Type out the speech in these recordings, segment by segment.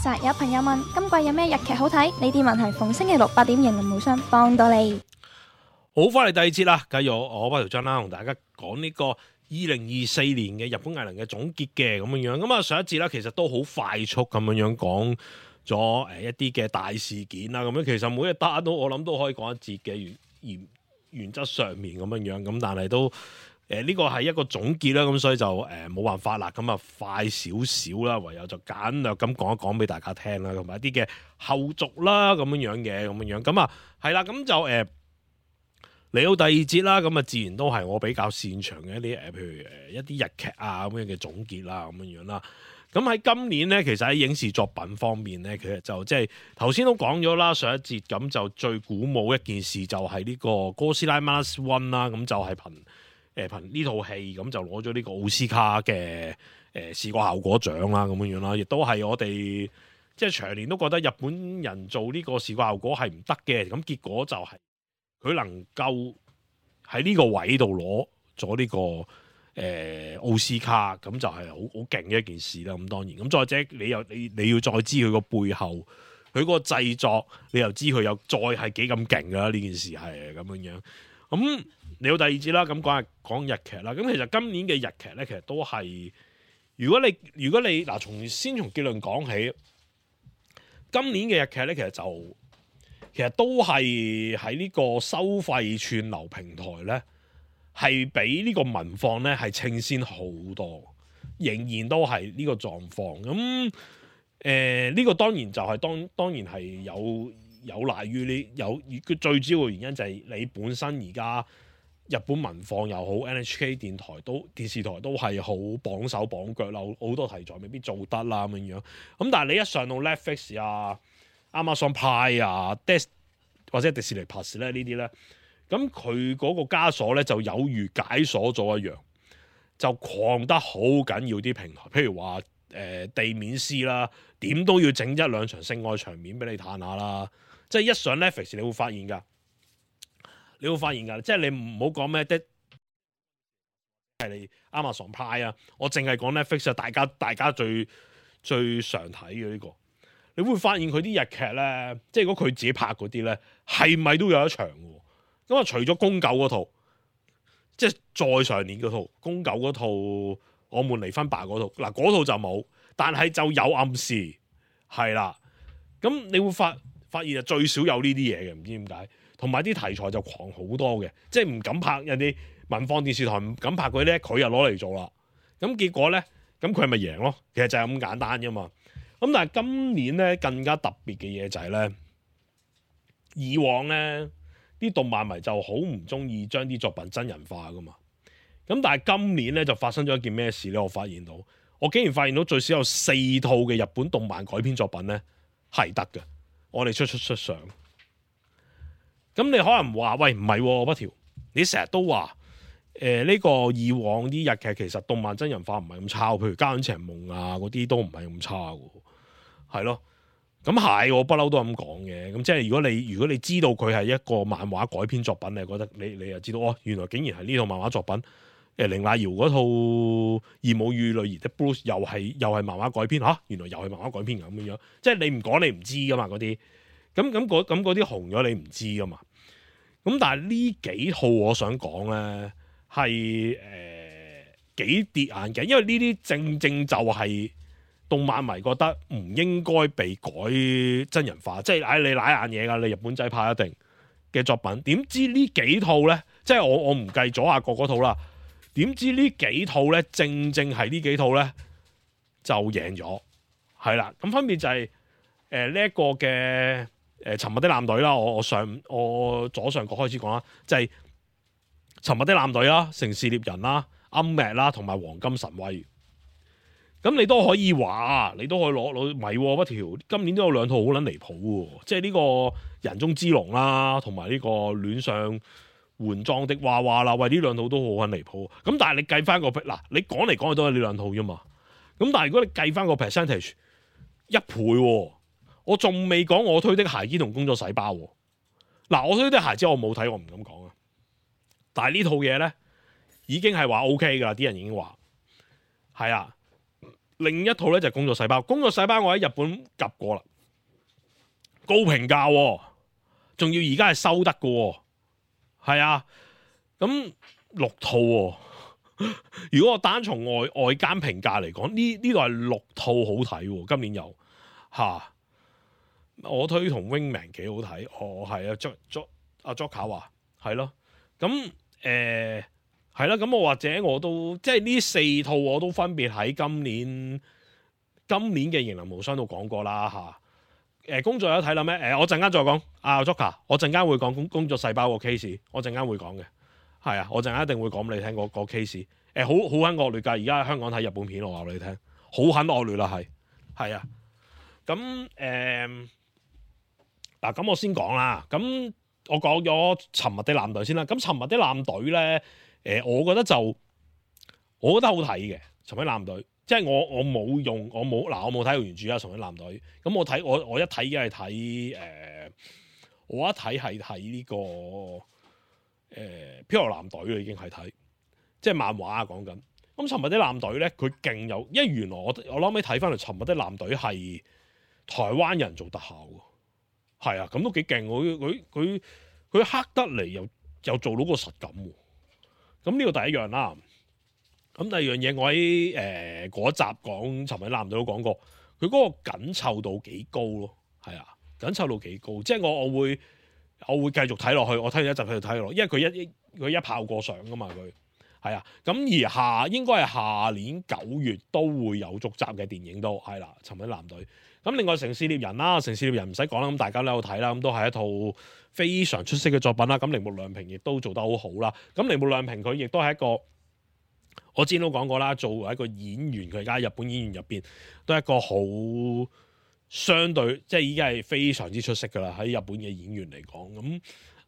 實有朋友問今季有咩日劇好睇？呢啲問題逢星期六8點型林無雙幫到你。好，翻嚟第二節啦，繼續我北條真啦，同大家講呢個2024年嘅日本藝能嘅總結嘅咁樣樣。咁啊上一節啦，其實都好快速咁樣樣講咗一啲嘅大事件啦。咁樣其實每一單都我諗都可以講一節嘅原則上面咁樣樣。咁但係都呢個係一個總結啦，咁所以就冇辦法啦。咁啊快少少啦，唯有就簡略咁講一講俾大家聽啦，同埋一啲嘅後續啦咁樣樣嘅咁樣樣。咁啊係啦，咁就嚟到第二節啦，咁啊自然都係我比較擅長嘅一啲譬如一啲日劇啊咁樣嘅總結啦咁樣樣啦。咁喺今年咧，其實喺影視作品方面咧，其實就即係頭先都講咗啦，上一節咁就最鼓舞一件事就係呢個哥斯拉 Minus One 啦，咁就係憑呢套戲咁就攞咗呢個奧斯卡嘅視覺效果獎啦咁樣樣啦，亦都係我哋即係長年都覺得日本人做呢個視覺效果係唔得嘅，咁結果就係佢能夠喺呢個位度攞咗呢個奧斯卡，咁就係好勁嘅一件事啦。咁當然，咁再者你要再知佢個背後，佢個製作，你又知佢又再係幾咁勁噶啦。呢件事係咁樣樣。咁嚟到第二節啦，咁講日劇啦。咁其實今年嘅日劇咧，其實都係如果你嗱先從結論講起，今年嘅日劇咧，其實都係喺呢個收費串流平台咧，係比呢個文放咧係稱先好多，仍然都係呢個狀況。咁呢個當然就係當然係有賴於佢最主要嘅原因就係你本身而家日本文放又好 NHK 電視台都係好綁手綁腳啦，好多題材未必做得啦咁樣。咁但係你一上到 Netflix 啊、Amazon Prime 啊、或者迪士尼 Plus 咧呢啲咧，咁佢嗰個枷鎖咧就有如解鎖咗一樣，就狂得好緊要啲平台，譬如話地面師啦，點都要整一兩場性愛場面俾你嘆下啦。即係一上 Netflix 你會發現㗎，即係你唔好講咩係你 Amazon Prime 啊，我淨係講 Netflix 啊，大家最常睇嘅呢個。你會發現佢啲日劇咧，即係如果佢自己拍嗰啲咧，係咪都有一場嘅？咁啊，除咗宮九嗰套，即係再上年嗰套宮九嗰套，我們離婚吧嗰套，嗱嗰套就冇，但係就有暗示係啦。咁你會發現啊，最少有呢啲嘢嘅，唔知點解。同埋啲題材就狂好多嘅，即係唔敢拍人哋文放電視台唔敢拍佢咧，佢又攞嚟做啦。咁結果咧，咁佢咪贏咯？其實就係咁簡單啫嘛。咁但係今年咧更加特別嘅嘢就係咧，以往咧啲動漫迷就好唔中意將啲作品真人化噶嘛。咁但係今年咧就發生咗一件咩事咧？我竟然發現到最少有4套嘅日本動漫改編作品咧係得嘅，我哋出相。咁你可能話喂，唔係北條，你成日都話呢個以往啲日劇其實動漫真人化唔係咁差，譬如《家有情夢》啊嗰啲都唔係咁差嘅。係咯，咁係我不嬲都咁講嘅。咁即係如果你知道佢係一個漫畫改編作品，你覺得你又知道原來竟然係呢套漫畫作品。綾瀨遙嗰套《義母與女兒的 Blues》又係漫畫改編嚇，原來又係漫畫改編咁樣。即係你唔講你唔知噶嘛嗰啲。咁嗰啲紅咗你唔知噶嘛。咁但係呢幾套我想講咧係幾跌眼鏡，因為呢啲正就係動漫迷覺得唔應該被改真人化，即係你瀨眼嘢㗎，你日本仔拍一定嘅作品，點知呢幾套咧，即係我唔計左下角嗰套啦，點知呢幾套咧正係呢幾套咧就贏咗，係啦，咁分別就係呢一個嘅沉默的艦隊啦，我左上角開始講啦，就係沉默的艦隊啦、城市獵人啦、暗맥啦同埋黃金神威。咁你都可以話，你都可以攞唔係不條，今年都有2套好撚離譜喎，即係呢個人中之龍啦，同埋呢個戀上換裝的娃娃啦，喂呢2套都好撚離譜。咁但係你計翻個嗱，你講嚟講去都係呢2套啫嘛。咁但係如果你計翻個 percentage 1倍喎，我仲未講我推的孩子同工作細胞喎。嗱，我推的孩子我冇睇，我唔敢講啊。但係呢套嘢咧已經係話 OK 㗎啦，啲人已經話係啊。另一套咧就係工作細胞。工作細胞我喺日本及過啦，高評價喎，仲要而家係收得嘅喎，係啊，咁6套喎。如果我單從外間評價嚟講，呢度係6套好睇喎，今年有嚇。我推同 Wingman 幾好睇，係啊阿 Joker 話係咯，咁係啦，咁我或者我都即係呢4套我都分別喺今年嘅型男無雙都講過啦嚇。工作有睇啦咩？我陣間再講阿 Joker， 我陣間會講工作細胞個 case， 我陣間會講嘅，係啊，我陣間一定會講俾你聽個 case。好很惡劣㗎，而家喺香港睇日本片，我話俾你聽，好很惡劣啦，係啊。咁嗱，咁我先講啦。咁我講咗沉默的艦隊先啦。咁沉默的艦隊咧，我覺得好睇嘅。沉默的艦隊，即係我冇睇過原著啊。沉默的艦隊，咁我一睇嘅係睇我一睇係睇呢個飄流艦隊啦，已經係睇，即係漫畫啊講緊。咁沉默的艦隊咧，佢勁有，因為原來我諗尾睇翻嚟，沉默的艦隊係台灣人做特效喎。係啊，咁都幾勁，佢黑得嚟又做到個實感喎。咁呢個第一樣啦。咁第二樣嘢，我喺嗰集講沉默的艦隊都講過，佢嗰個緊湊度幾高咯。係啊，緊湊度幾高，即係我會繼續睇落去。我睇完一集繼續睇落，因為佢一炮過上噶嘛，佢係啊。咁而應該係下年9月都會有續集嘅電影都係啦，沉默的艦隊。咁另外城市獵人啦，城市獵人唔使講啦，咁大家都有睇啦，咁都係一套非常出色嘅作品啦。咁鈴木亮平亦都做得好好啦。咁鈴木亮平佢亦都係一個，我之前都講過啦，作為一個演員，佢而家日本演員入邊都係一個好相對，即係已經係非常之出色噶啦。喺日本嘅演員嚟講，咁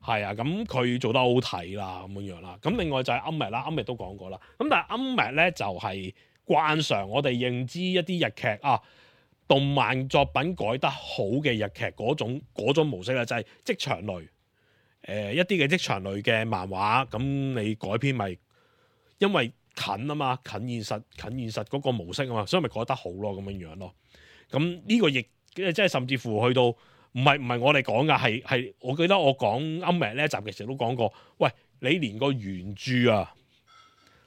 係啊，咁佢做得好睇啦，咁樣啦。咁另外就係暗麥啦，暗麥都講過啦。咁但係暗麥咧就係慣常我哋認知一啲日劇啊。動漫作品改得好嘅日劇嗰種模式咧，就係職場類，一啲嘅職場類嘅漫畫，咁你改編咪因為近啊嘛，近現實嗰個模式啊嘛，所以咪改得好咯，咁樣咯。咁呢個亦即係甚至乎去到唔係我哋講噶，係我記得我講啱明呢一集嘅時候都講過，喂，你連個原著啊，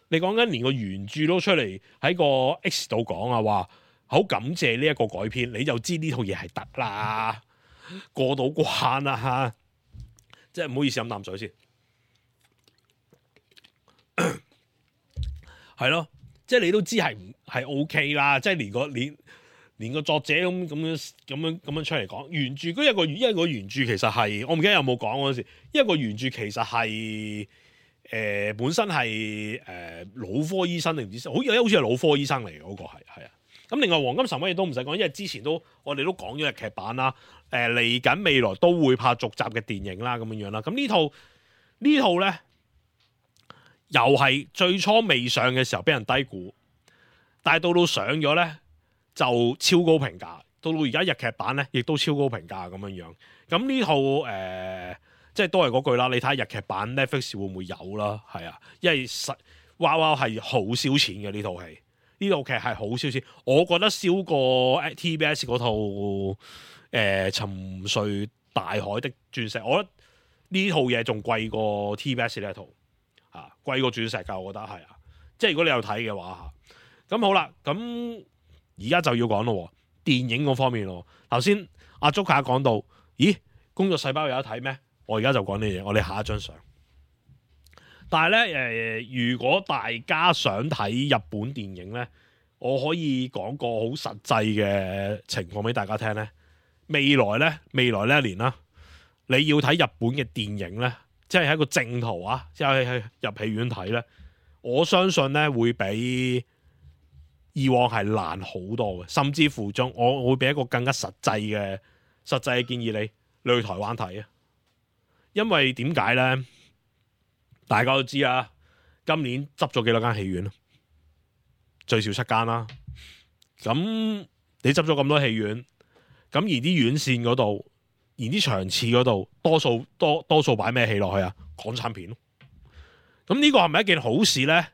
你講緊連個原著都出嚟喺個 X 度講啊，話。好感謝呢一個改編，你就知呢套嘢係得啦，過到關啦嚇，即係唔好意思飲啖水先，係咯，即係你都知係 OK 啦，即係連個作者咁樣出嚟講原著，嗰一個原著其實係我唔記得有冇講嗰陣時，一個原著其實係本身係腦科醫生定唔知，好似係腦科醫生嚟嘅嗰個係啊。咁另外黃金神威亦都唔使講，因為之前我哋都講咗日劇版啦。嚟緊未來都會拍續集嘅電影啦，咁樣啦。咁呢套咧，又係最初未上嘅時候俾人低估，但係到上咗咧就超高評價。到而家日劇版咧，亦都超高評價咁樣。咁呢套即係都係嗰句啦。你睇下日劇版 Netflix 會唔會有啦？係啊，因為哇係好燒錢嘅呢套戲。呢套劇係好燒錢，我覺得燒過 TBS 嗰套沉睡大海的鑽石，我覺得呢套嘢仲貴過 TBS 呢一套嚇，貴過鑽石㗎，我覺得係啊。即係如果你有睇嘅話嚇，咁好啦，咁而家就要講咯，電影嗰方面咯。頭先阿 Joker 講到，咦，工作細胞有得睇咩？我而家就講呢嘢，我哋下一張相。但係咧，如果大家想睇日本電影咧，我可以講個好實際嘅情況俾大家聽咧。未來呢一年啦，你要睇日本嘅電影咧，即係喺一個正途啊，即係入戲院睇咧，我相信咧會比以往係難好多嘅，甚至乎我會俾一個更加實際嘅建議你去台灣睇啊，因為點解咧？大家都知啊，今年執咗幾多間戲院啊？最少7間啦。咁你執咗咁多戲院，咁而啲院線嗰度，而啲場次嗰度，多數擺咩戲落去啊？港產片咯。咁呢個係咪一件好事咧？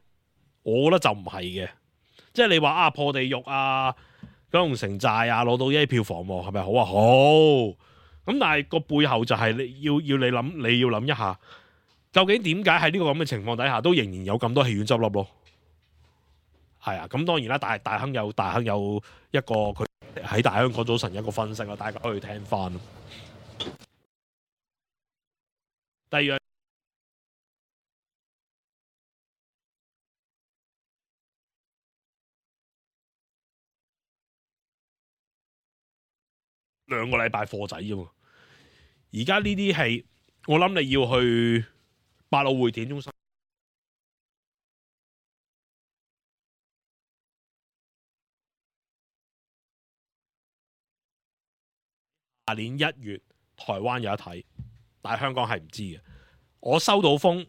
我覺得就唔係嘅。即係你話啊破地獄啊、九龍城寨啊攞到一票房喎，係咪好啊？好。咁但係個背後就係你要諗一下，究竟點解喺呢個咁嘅情況底下，都仍然有咁多戲院執笠咯？係啊，咁當然啦，大亨有一個佢喺大香港早晨一個分析啦，大家可以聽翻。第二樣2個禮拜貨仔啫嘛，而家呢啲戲，我諗你要去百老匯電影中心。下年1月台灣有得睇，但係香港係唔知嘅。我收到風，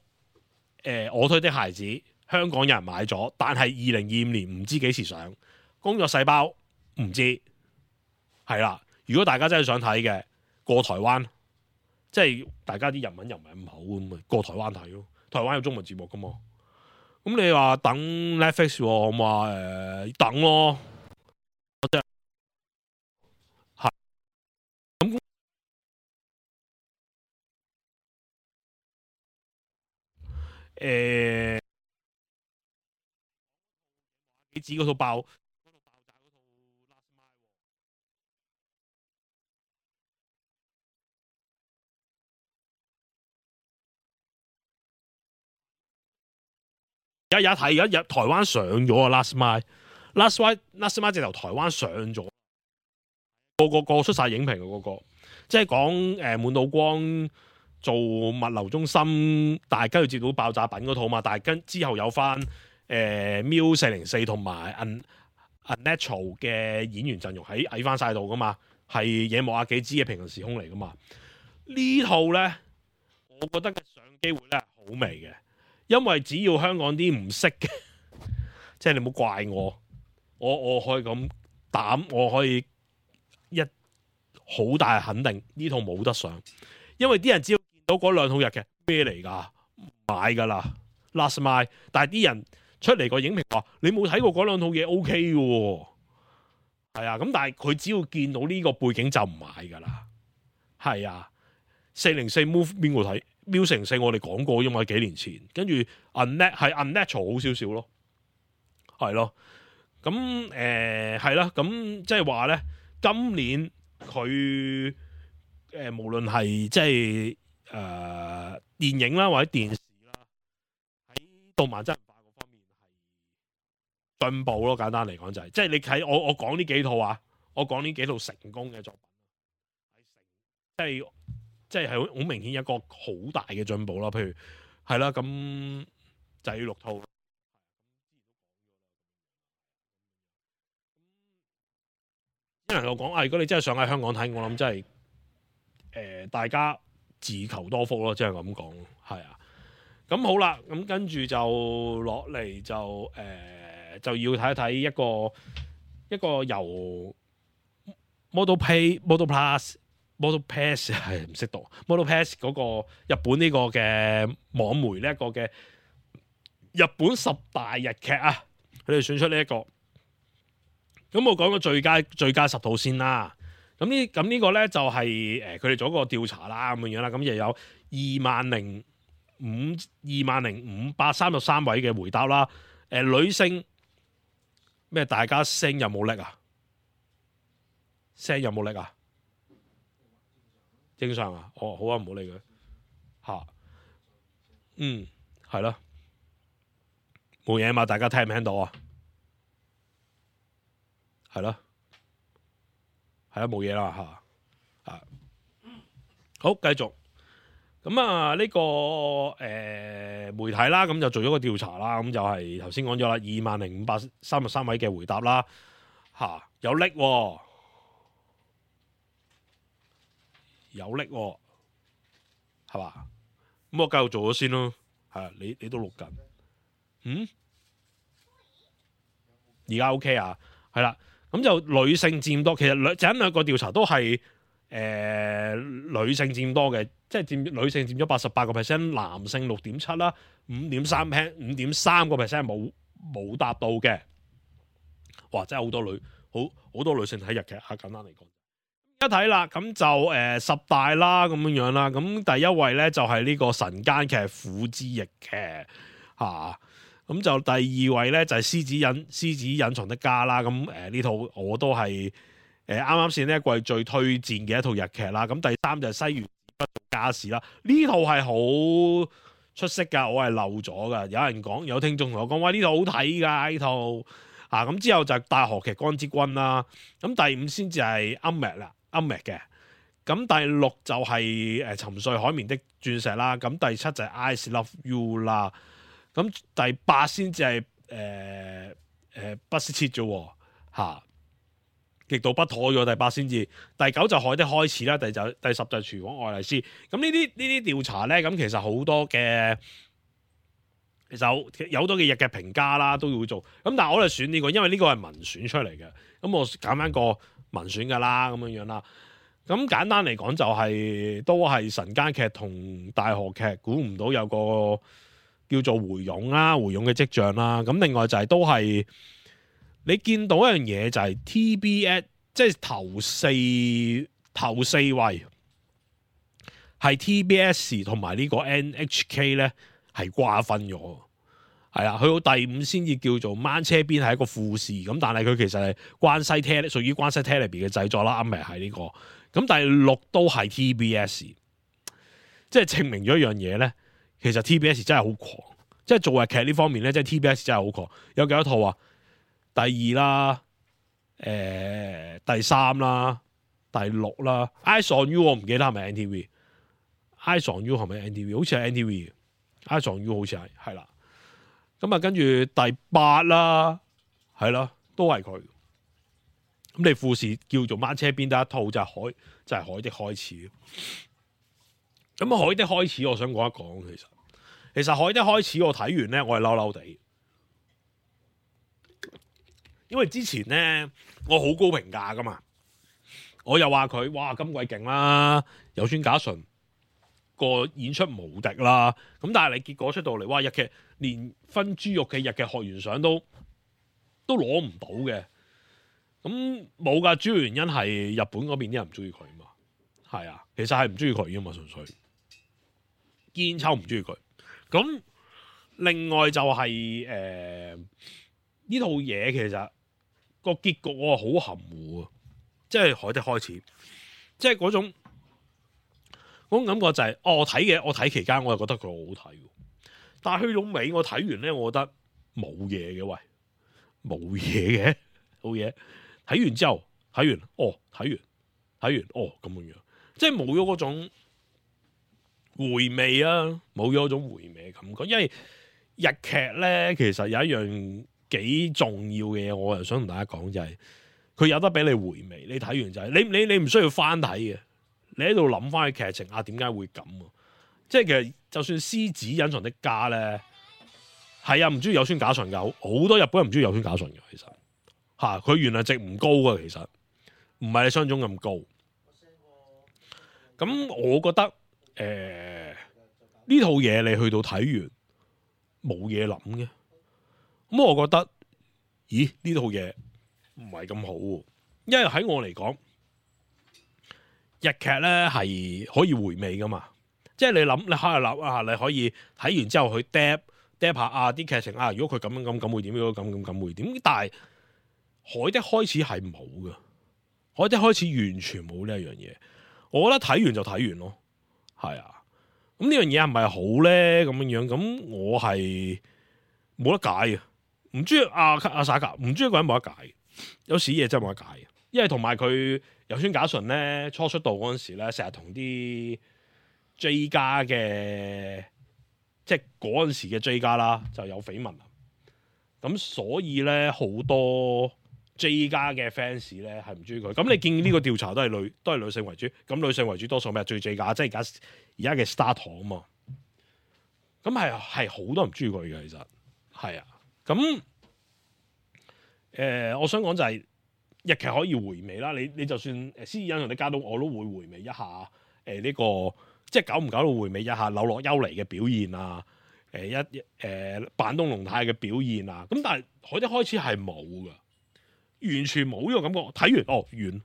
我推的孩子香港有人買咗，但係2025年唔知幾時上。工作細胞唔知，係啦。如果大家真係想睇嘅，過台灣，即係大家啲日文又唔係咁好咁咪過台灣睇咯。台灣有中文節目噶嘛。咁你話等 Netflix 我話等咯。你指嗰套爆炸嗰套 Last Mile 而家睇，而家台灣上咗啊 Last Mile 直頭台灣上咗，個出晒影評嘅個，即係講滿島光做物流中心，但係跟住接到爆炸品嗰套嘛，但係跟之後有翻Miu404同埋 Unnatural 嘅演員陣容喺翻晒度噶嘛，係野莫亞幾支嘅平行時空嚟噶嘛。呢套咧，我覺得嘅上機會咧好微嘅，因為只要香港啲唔識嘅，即係你唔好怪我可以咁膽，我可以一好大肯定呢套冇得上，因為啲人只要見到嗰兩套日劇咩嚟㗎，買㗎啦 Last Mile， 但係啲人出嚟個影評話你冇睇過嗰兩套嘢 OK 嘅喎，係啊，咁但係佢只要見到呢個背景就唔買㗎啦，係啊，404 Move 邊個睇？Miu404我哋講過因為幾年前，跟住 Unnatural 好少少咯，係咯，咁係啦，咁即係話咧，今年佢無論係即係電影啦或者電視啦，喺動漫真人化嗰方面係進步咯。簡單嚟講就係、是，即係你睇我講呢幾套啊，我講呢幾套成功嘅作品，即係好明顯一個好大嘅進步啦。譬如係啦，咁就係6套。只能夠講啊，如果你真係想喺香港睇，我諗真係大家自求多福咯，即係咁講，係啊。咁好啦，咁跟住就落嚟就要睇一睇一個由 Model Pass 係唔識讀 Model Pass 嗰個日本呢個嘅網媒呢一個嘅日本10大日劇啊，佢哋選出呢一個。咁我講個最佳10套先啦。咁呢個咧就係佢哋做一個調查啦，咁樣啦。咁又有20,533位嘅回答啦。女性咩？大家聲有冇力啊？聲有冇力啊？正常啊。哦，好啊，唔好理佢嚇。係咯，冇嘢嘛。大家聽唔聽到啊？係咯，係啊，冇嘢啦嚇啊！好，繼續咁啊，呢個媒體啦，咁就做咗個調查啦，咁就係頭先講咗啦，20,533位嘅回答啦嚇，有力喎，有力喎，係嘛？咁我繼續做咗先咯，係啊，你都錄緊，而家 OK 啊，係啦。咁就女性佔多，其實兩個調查都係女性佔多嘅，即係女性佔咗88%，男性6.7%啦，5.3%冇答到嘅。哇！真係好多女性睇日劇啊，簡單嚟講。一睇啦，咁就10大啦咁樣啦。咁第一位咧就係呢個晨間劇《苦之役劇》嚇。咁就第二位咧就係獅子隱藏的家啦。咁呢套我都係啱啱先呢一季最推薦嘅一套日劇啦。咁第三就係西園不做家事啦。呢套係好出色㗎，我係漏咗㗎。有人講，有聽眾同我講，喂，呢套好睇㗎呢套啊。咁之後就係大河劇《光之君》啦。咁第五先至係暗劇啦。暗劇嘅，咁第六就係沉睡海綿的鑽石啦，咁第七就係 I Love You 啦，咁第八先至係不思切啫嚇，極度不妥咗。第八先至，第九就海的開始啦，第十就係廚房愛麗絲。咁呢啲調查咧，咁其實好多嘅，其實有好多嘅日劇評價啦都要做。咁但係我哋選呢個，因為呢個係民選出嚟嘅，咁我揀翻個民選噶啦，咁樣啦。咁簡單嚟講就係都係晨間劇同大河劇，估唔到有個叫做回勇啦，回勇嘅跡象啦。咁另外就係都係你見到一樣嘢就係 TBS， 即係頭四位係 TBS 同埋呢個 NHK 咧係瓜分咗。係啊，去到第五先至叫做掹車邊係一個副視咁，但係佢其實係關西 Tele 屬於關西 Television 嘅製作啦，啱咪係呢個。咁第六都係 TBS， 即係證明咗一樣嘢咧。其實 TBS 真係好狂，即係做日劇呢方面咧，即係 TBS 真係好狂。有幾多套啊？第二啦，第三啦，第六啦。Eyes on You 我唔記得係咪 NTV？Eyes on You 係咪 NTV？ 好似係 NTV 嘅。Eyes on You 好似係啦。咁啊，跟住第八啦，係啦，都係佢。咁你富士叫做掹車邊得一套就係海的開始。咁海的開始，我想講一講，其實海的開始我睇完咧，我係嬲嬲地，因為之前咧我好高評價噶嘛，我又話佢哇咁鬼勁啦，有村架純個演出無敵啦。咁但係你結果出到嚟，哇！日劇連分豬肉嘅日劇學員賞都攞唔到嘅。咁冇㗎，主要原因係日本嗰邊啲人唔中意佢嘛。係啊，其實係唔中意佢噶嘛，純粹堅抽唔中意佢。咁另外就係呢套嘢其實個結局我係好含糊啊，即係海的開始，即係嗰種感覺就係、是我睇期間我又覺得佢好睇，但係去到尾我睇完咧，我覺得冇嘢嘅，喂，冇嘢嘅，冇嘢。睇完之後，睇完哦咁樣，即係冇咗嗰種回味啊，冇咗嗰種回味嘅感覺。因為日劇咧，其實有一樣幾重要嘅嘢，我又想同大家講就係，佢有得俾你回味。你睇完就係你唔需要翻睇嘅，你喺度諗翻嘅劇情啊，點解會咁啊？即係其實就算獅子隱藏的家咧，係啊，唔中意有村架純有好多日本人唔中意有村架純嘅，其實。佢原來值唔高啊，其實唔係你想像中咁高。咁我覺得呢套嘢你去到睇完冇嘢諗嘅。咁我覺得，咦呢套嘢唔係咁好喎，因為喺我嚟講，日劇咧係可以回味噶嘛。即係你諗，你喺度諗啊，你可以睇完之後去 drop 下啊啲劇情啊，如果佢咁會點？如果咁會點？但係海的開始係冇嘅，海的開始完全冇呢一樣嘢。我覺得睇完就睇完咯，係啊。咁呢樣嘢係咪好咧？咁樣咁我係冇得解嘅。唔中意阿薩格，唔中意個人冇得解。有時嘢真係冇得解嘅，因為同埋佢有村架純咧初出道嗰陣時咧，成日同啲 J 家嘅，即係嗰陣時嘅 J 家啦，就有緋聞。咁所以咧好多 J 家嘅 fans 咧係唔中意佢，咁你見呢個調查都係女性為主，咁女性為主多數咩？最 J 家，即係而家嘅 Star 堂啊嘛，咁係好多人唔中意佢嘅，其實係啊，咁我想講就係日劇可以回味啦，你就算獅子隱藏的家都我都會回味一下呢個，即係久唔久都回味一下柳樂優彌嘅表現啊，板東龍太嘅表現啊，咁但係海的開始係冇噶。完全冇呢個感覺。睇完完，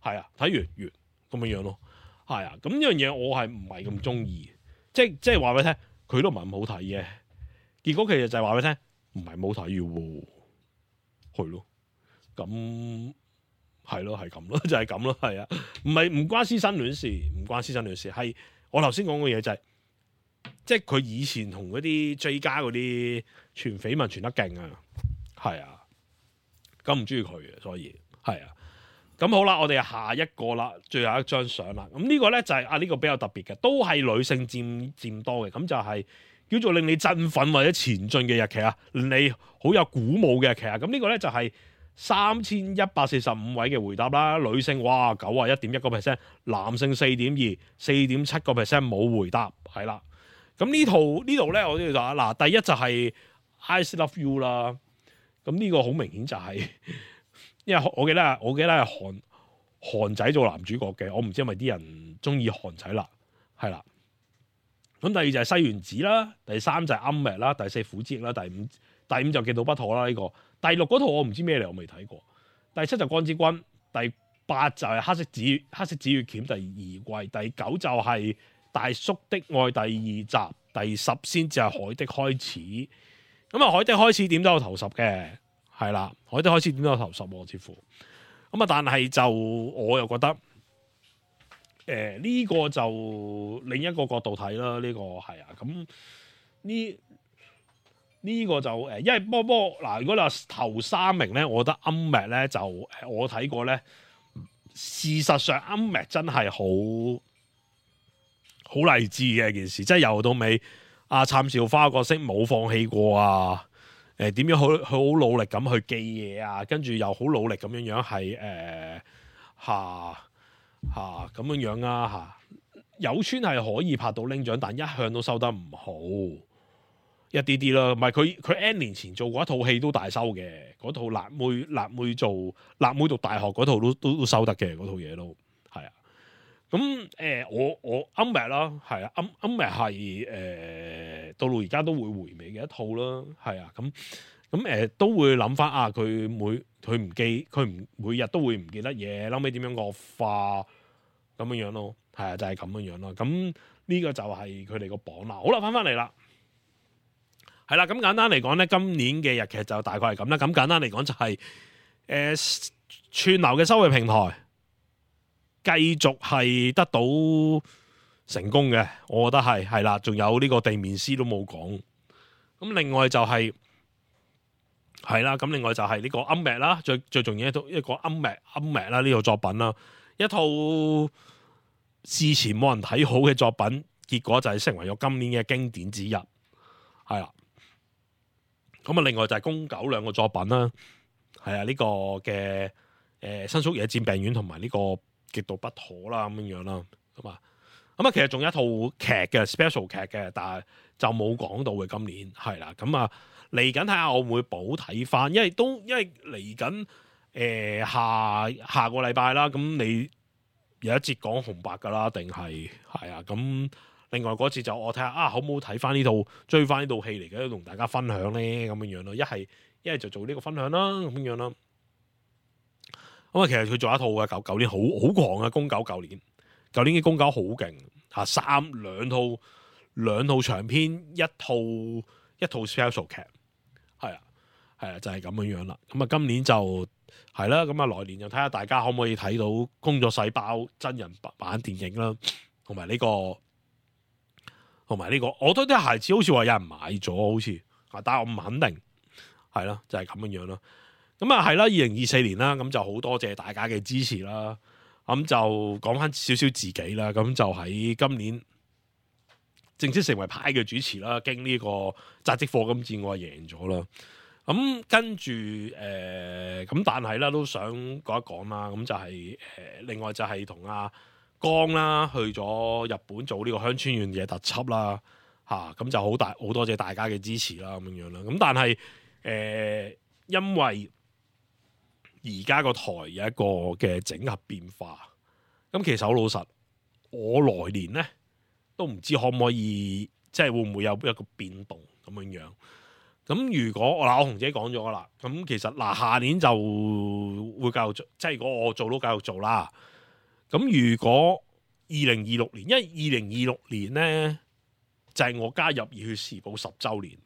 係啊，睇完咁樣咯，係啊。咁呢樣嘢我係唔係咁中意，即係話俾你聽，佢都唔係咁好睇嘅。結果其實就係話俾你聽，唔係冇睇嘅喎，係咯。咁係咯，係咁咯，就係咁咯，係啊。唔關師生戀事，唔關師生戀事，係我頭先講嘅嘢就係、即係佢以前同嗰啲 J 家嗰啲傳緋聞傳得勁啊，係啊。咁唔中意佢嘅，所以係啊。咁好啦，我哋下一個啦，最後一張相啦。咁呢個咧就係呢個比較特別嘅，都係女性佔多嘅。咁就係叫做令你振奮或者前進嘅日劇啊，令你好有鼓舞嘅日劇啊。咁呢個咧就係3145位嘅回答啦。女性哇91.1%，男性4.2，4.7% 冇回答，係啦。咁呢度咧，我都要話嗱，第一就係 I Still Love You 啦。咁呢個好明顯就係、因為我記得係韓仔做男主角嘅，我唔知係咪啲人中意韓仔啦，係啦。咁第二就係西園子啦，第三就係暗滅啦，第四苦之役啦，第五就極度不妥啦呢、這個，第六嗰套我唔知咩嚟，我未睇過。第七就光之君，第八就係黑色紫月鉗第二季，第九就係大叔的愛第二集，第10先至係海的開始。咁啊，海的開始點都有頭10嘅，係啦，海的開始點都有頭10喎，似乎。咁啊，但係就我又覺得，呢個就另一個角度睇啦，呢個係啊，咁呢個就因為波嗱，如果你話頭3名咧，我覺得 Unmatched 咧就我睇過咧，事實上 Unmatched真係好勵志嘅一件事，即係由到尾。阿杉咲花角色冇放棄過啊！點樣好努力咁去記嘢啊，跟住又好努力咁樣係咁樣啊有村係可以拍到拎獎，但一向都收得唔好一啲啲啦。唔係佢 N 年前做過一套戲都大收嘅，嗰套辣妹做辣妹讀大學嗰套都收得嘅，嗰套嘢都係啊。咁我 Unmatched 啦，係啊，Unmatched 係到而家都會回味嘅一套啦，係啊，咁都會諗翻啊，佢每日都會唔記得嘢，後尾點樣惡化咁樣咯，係啊，就係咁樣咯。咁呢個就係佢哋個榜啦。好啦，翻嚟啦，係啦。咁簡單嚟講咧，今年嘅日劇就大概係咁啦。咁簡單嚟講就係串流嘅收費平台。繼續係得到成功嘅，我覺得係啦，仲有呢個地面師都冇講。咁另外就係啦，咁另外就係呢個 Unmatched 啦，最重要一個 Unmatched 啦呢套作品啦，一套事前冇人睇好嘅作品，結果就係成為咗今年嘅經典之一，係啦。咁啊，另外就係宮九兩個作品啦，係啊，呢個嘅新宿野戰病院同埋呢個。極度不妥啦，咁樣啦，咁啊，其實仲有一套劇嘅 special 劇嘅，但係就冇講到嘅。今年係啦，咁啊嚟緊睇下我會唔會補睇翻，因為嚟緊下個禮拜啦，咁你有一節講紅白噶啦，定係啊？咁另外嗰節就我睇下啊，好唔好睇翻呢套追翻呢套戲嚟嘅，同大家分享咧，咁樣咯。一係就做呢個分享啦，咁樣啦。咁啊，其實佢做一套嘅舊年好狂啊，宮九舊年嘅宮九好勁嚇，兩套長篇，一套 special 劇，係啊，就係咁樣啦。咁啊，今年就係啦，咁啊來年就睇下大家可唔可以睇到工作細胞真人版電影啦，同埋呢個，我覺得啲孩子好似話有人買咗，好似但係我唔肯定，係啦，就係咁樣咯。咁啊係啦，2024年啦，咁就好多謝大家嘅支持啦。咁就講翻少少自己啦。咁就喺今年正式成為派嘅主持啦。經呢個扎職課金戰，我係贏咗啦。咁跟住咁但係啦，都想講一講啦。咁就係另外就係同阿江啦去咗日本做呢個鄉村縣嘅特輯啦。咁就好多謝大家嘅支持啦，咁樣啦。咁但係因為而家個台有一個嘅整合變化，咁其實好老實，我來年咧都唔知可唔可以，即係會唔會有一個變動咁樣樣。咁如果我紅姐講咗啦，咁其實下年就會繼續做，即係如果我做都繼續做啦。咁如果2026年，因為2026年咧就係我加入熱血時報10週年，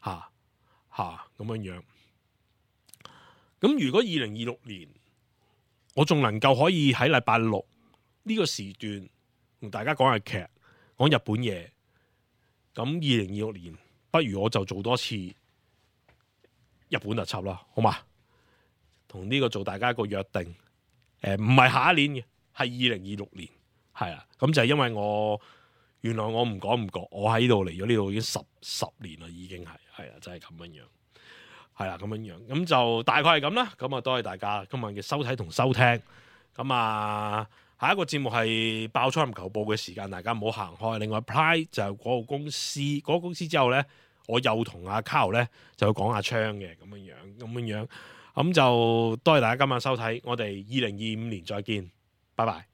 咁樣樣。咁如果2026年我仲能夠可以喺禮拜六呢個時段同大家講下劇，講日本嘢，咁2026年不如我就做多次日本特輯啦，好嘛？同呢個做大家一個約定，唔係下一年嘅，係2026年，係啊。咁就係因為原來我唔講唔覺，我喺度嚟咗呢度已經十年啦，已經係啊，就係咁樣樣。係啦，咁樣樣，咁就大概係咁啦。咁啊，多謝大家今日嘅收睇同收聽。咁啊，下一個節目係爆倉籃球報嘅時間，大家唔好行開。另外 Pride 就係嗰個公司，嗰個公司之後咧，我又同阿 Carl 咧就去講下槍嘅咁樣樣。咁就多謝大家今晚收睇，我哋2025年再見，拜拜。